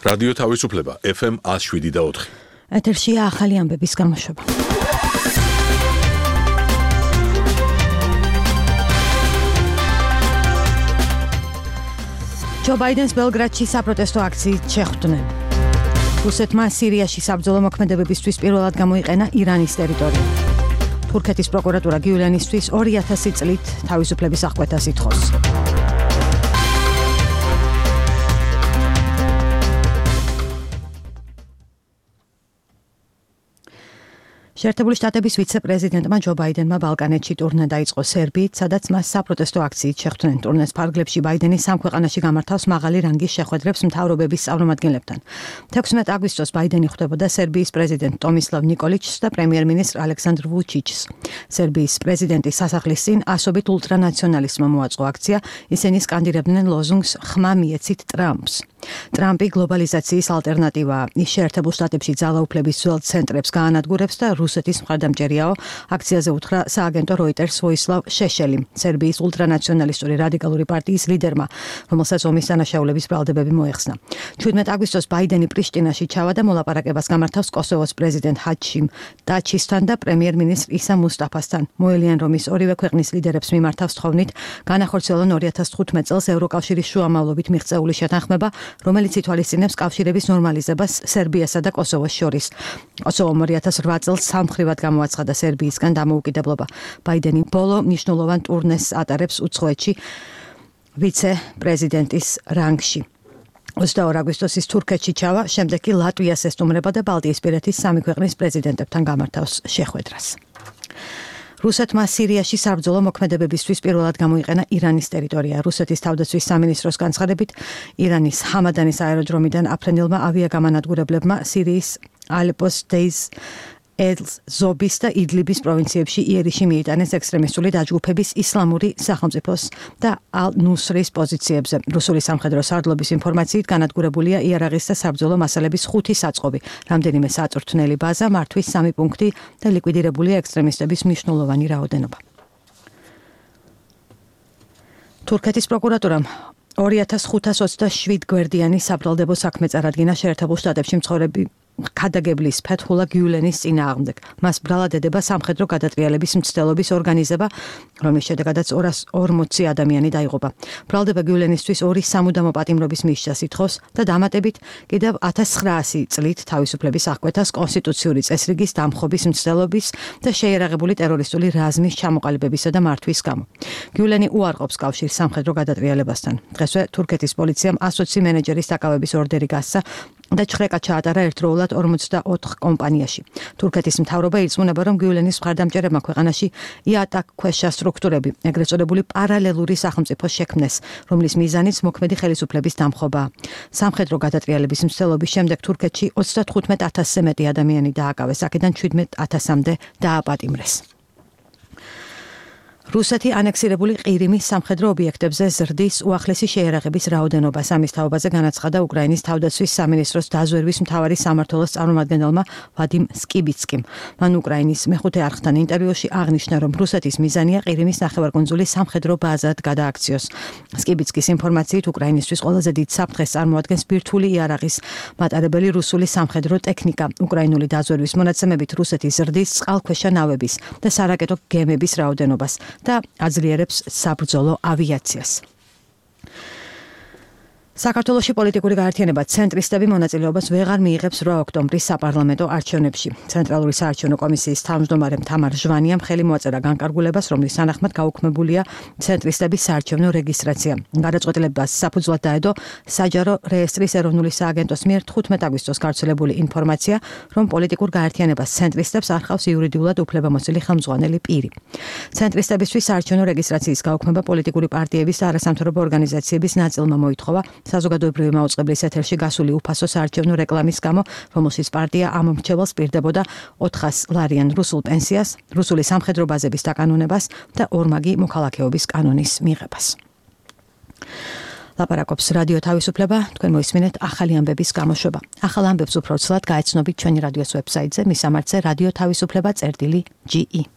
რადიო თავისუფლება FM 107.4. ეთერშია ახალი ამბების გამოშვება. ჯო ბაიდენს ბელგრადში საპროტესტო აქციით შეხვდნენ. რუსეთმა სირიაში საბრძოლო მოქმედებებისთვის პირველად გამოიყენა ირანის ტერიტორია. თურქეთის პროკურატურა გიულენისთვის 2000 წლით თავისუფლების აღკვეთას ითხოვს. შეერთებული შტატების ვიცე-პრეზიდენტმა ჯო ბაიდენმა ბალკანეთში ტურნე დაიწყო სერბიით, სადაც მას საპროტესტო აქციით შეხვდნენ. ტურნეს ფარგლებში ბაიდენი სამ ქვეყანაში გამართავს მაღალი რანგის შეხვედრებს მთავრობების წარმომადგენლებთან. 16 აგვისტოს ბაიდენი ხვდებოდა სერბიის პრეზიდენტ ტომისლავ ნიკოლიჩს და პრემიერ-მინისტრ ალექსანდრ ვუჩიჩს. სერბიის პრეზიდენტის სასახლის წინ ასობით ულტრანაციონალისტმა მოაწყო აქცია, ისინი სკანდირებდნენ ლოზუნგს ხმა მიეცით ტრამპს. ტრამპი გლობალიზაციის ალტერნატივაა. ის შეერთებულ შტატებში ძალაუფლების ძველ ცენტრებს გაანადგურებს და რუსეთის მხარდამჭერიაო. აქციაზე უთხრა სააგენტო როიტერს ვოისლავ შეშელი, სერბიის ულტრანაციონალისტური რადიკალური პარტიის ლიდერმა, რომელსაც ომის დანაშაულების ბრალდებები მოეხსნა. 17 აგვისტოს ბაიდენი პრიშტინაში ჩავა და მოლაპარაკებას გამართავს კოსოვოს პრეზიდენტ ჰაჩიმ ტაჩისთან და პრემიერ-მინისტრ ისა მუსტაფასთან. მოელიან, რომ ის ორივე ქვეყნის ლიდერებს მიმართავს თხოვნით განახორციელონ 2015 წელს ევროკავშირის შუამავლობით მიღწეული შეთანხმება, რომელიც ითვალისწინებს კავშირების ნორმალიზებას სერბიასა და კოსოვოს შორის. კოსოვომ 2008 წელს სამხრივად გამოაცხადა სერბიისგან დამოუკიდებლობა. ბაიდენი ბოლო მნიშვნელოვან ტურნეს ატარებს უცხოეთში ვიცე-პრეზიდენტის რანგში. 22 აგვისტოს ის თურქეთში ჩავა, შემდეგ კი ლატვიას ესტუმრება და ბალტიისპირეთის სამი ქვეყნის პრეზიდენტებთან გამართავს შეხვედრას. რუსეთმა სირიაში საბრძოლო მოქმედებებისთვის პირველად გამოიყენა ირანის ტერიტორია. რუსეთის თავდაცვის სამინისტროს განცხადებით, ირანის ჰამადანის აეროდრომიდან აფრენილმა ავიაგამანადგურებლებმა სირიის ალეპოს დეის ზობის და იდლიბის პროვინციებში იერიში მიიტანეს ექსტრემისტული დაჯგუფების ისლამური სახელმწიფოს და ალ-ნუსრის პოზიციებზე. რუსული სამხედრო სარდლობის ინფორმაციით განადგურებულია იარაღის და საბრძოლო მასალების 5 საწყობი, რამდენიმე საწვრთნელი ბაზა, მართვის 3 პუნქტი და ლიკვიდირებულია ექსტრემისტების მნიშვნელოვანი რაოდენობა. თურქეთის პროკურატურამ 2527 გვერდიანი საბრალდებო საქმე წარადგინა შეერთებულ შტატებში მცხოვრები ქადაგებლის ფეთჰულა გიულენის წინააღმდეგ. მას ბრალად ედება სამხედრო გადატრიალების მცდელობის ორგანიზება, რომლის შედეგადაც 240 ადამიანი დაიღუპა. ბრალდება გიულენისთვის 2 სამუდამო პატიმრობის მისჯას ითხოვს და დამატებით კიდევ 1900 წლით თავისუფლების აღკვეთას კონსტიტუციური წესრიგის დამხობის მცდელობის და შეიარაღებული ტერორისტული რაზმის ჩამოყალიბებისა და მართვის გამო. გიულენი უარყოფს კავშირს სამხედრო გადატრიალებასთან. დღესვე თურქეთის პოლიციამ 120 მენეჯერის დაკავების ორდერი გასცა და ჩხრეკა ჩაატარა ერთდროულად 44 კომპანიაში. თურქეთის მთავრობა ირწმუნება, რომ გიულენის მხარდამჭერებმა ქვეყანაში იატაკქვეშა სტრუქტურები, ეგრეთ წოდებული პარალელური სახელმწიფო შექმნეს, რომლის მიზანიც მოქმედი ხელისუფლების დამხობაა. სამხედრო გადატრიალების მცდელობის შემდეგ თურქეთში 35000-ზე მეტი ადამიანი დააკავეს, აქედან 17000-მდე დააპატიმრეს. რუსეთი ანექსირებული ყირიმის სამხედრო ობიექტებზე ზრდის უახლესი შეიარაღების რაოდენობას. ამის თაობაზე განაცხადა უკრაინის თავდაცვის სამინისტროს დაზვერვის მთავარი სამმართველოს წარმომადგენელმა ვადიმ სკიბიცკიმ. მან უკრაინის მეხუთე არხთან ინტერვიუში აღნიშნა, რომ რუსეთის მიზანია ყირიმის ნახევარკუნძული სამხედრო ბაზად გადააქციოს. სკიბიცკის ინფორმაციით, უკრაინისთვის ყველაზე დიდ საფრთხეს წარმოადგენს ბირთვული იარაღის მატარებელი რუსული სამხედრო ტექნიკა. უკრაინული დაზვერვის მონაცემებით რუსეთი ზრდის წყალქვეშა ნავების და სარაკეტო გემების რაოდენობას და აძლიერებს საბრძოლო ავიაციას. საქართველოში პოლიტიკური გაერთიანება ცენტრისტები მონაწილეობას ვეღარ მიიღებს 8 ოქტომბრის საპარლამენტო არჩევნებში. ცენტრალური საარჩევნო კომისიის თავმჯდომარემ თამარ ჟვანიამ ხელი მოაწერა განკარგულებას, რომლის თანახმად გაუქმებულია ცენტრისტების საარჩევნო რეგისტრაცია. გადაწყვეტილებას საფუძვლად დაედო საჯარო რეესტრის ეროვნული სააგენტოს მიერ 15 აგვისტოს გავრცელებული ინფორმაცია, რომ პოლიტიკურ გაერთიანებას ცენტრისტებს არ ხავს იურიდიულად უფლებამოსილი ხელმძღვანელი პირი. ცენტრისტებისთვის საარჩევნო რეგისტრაციის გაუქმება პოლიტიკური პარტიების და არასამთავრობო ორგანიზაციების ნაწილმა მოითხოვა საზოგადოებრივი მაუწყებლის ეთერში გასული უფასო საარჩევნო რეკლამის გამო, რომელშიც პარტია ამ მრჩეველს პირდებოდა 400 ლარიან რუსულ პენსიას, რუსული სამხედრო ბაზების დაკანონებას და ორმაგი მოქალაქეობის კანონის მიღებას. ლაპარაკობს რადიო თავისუფლება, თქვენ მოისმინეთ ახალი ამბების გამოშვება. ახალ ამბებს უფრო ცლად გაეცნობით ჩვენი რადიოს ვებსაიტზე, მის სამარცზე რადიო თავისუფლება.ge